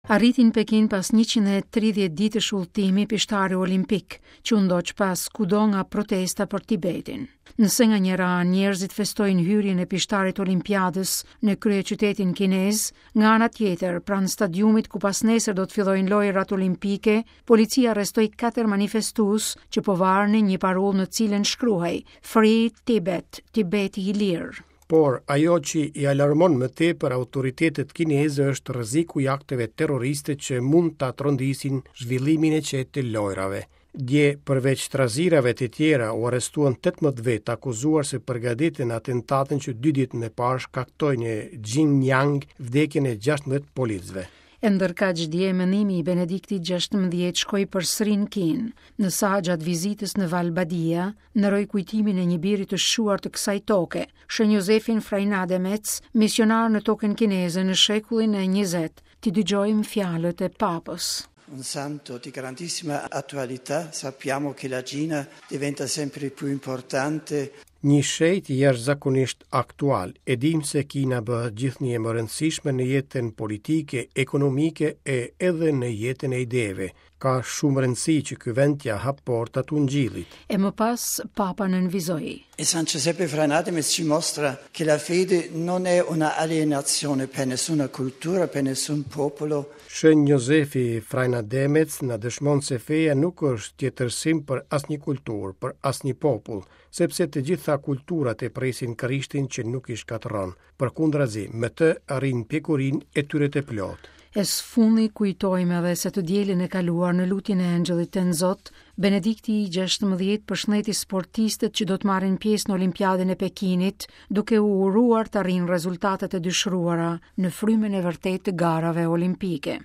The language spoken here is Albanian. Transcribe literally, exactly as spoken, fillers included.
Arriti në Pekin pas njëqind e tridhjetë ditësh udhëtimi pishtari olimpik, që u ndoq pas kudo nga protesta për Tibetin. Nëse nga njëra anë njerëzit festojnë hyrjen e pishtarit olimpiadës në kryeqytetin kinez, nga ana tjetër, pranë stadiumit ku pas nesër do të fillojnë lojërat olimpike, policia arrestoi katër manifestues që po varnin një parullë në cilën shkruhej "Free Tibet", Tibeti i lirë. Por ajo që i alarmon më tepër autoritetet kineze është rreziku i akteve terroriste që mund ta trondisin zhvillimin e qetë të lojrave. Dje, përveç trazirave të tjera, u arrestuan tetëmbëdhjetë vetë akuzuar se përgatitën atentatin që dy ditë më parë shkaktoi në Xinjiang vdekjen e gjashtëmbëdhjetë policëve. E ndërkaq dje mendimi i Benediktit gjashtëmbëdhjetë shkoi përsëri në Kinë, në sa gjatë vizitës në Val Badia, nderoi kujtimin e një biri të shquar të kësaj toke, Shën Josefin Freinademetz, misionar në tokën kineze në shekullin e njëzet. T'i dëgjojmë fjalët e papës. Un santo di grandissima attualità, sappiamo che la Cina diventa sempre più importante. Një shenjt jashtëzakonisht aktual. E dim se Kina bëhet gjithnjë e më rëndësishme në jetën politike, ekonomike e edhe në jetën e ideve. Ka shumë rëndësi që ky vend t'ia hap portat ungjillit. E më pas Papa nënvizoi: E San Giuseppe Freinademetz ci mostra che la fede non è una alienazione per nessuna cultura, per nessun popolo. Shën Jozefi Freinademetz na dëshmon se feja nuk është tjetërsim për asnjë kulturë, për asnjë popull, sepse të gjitha kulturat e presin Krishtin që nuk i shkatërron. Përkundrazi, me të arrin pjekurinë e tyre të plotë. E së fundi kujtojmë edhe se të dielën e kaluar në lutjen e Engjëllit të Zot, Benedikti i gjashtëmbëdhjetë përshëndeti sportistët që do të marrin pjesë në Olimpiadën e Pekinit, duke u uruar të arrijnë rezultatet e dëshiruara në frymën e vërtetë të garave olimpike.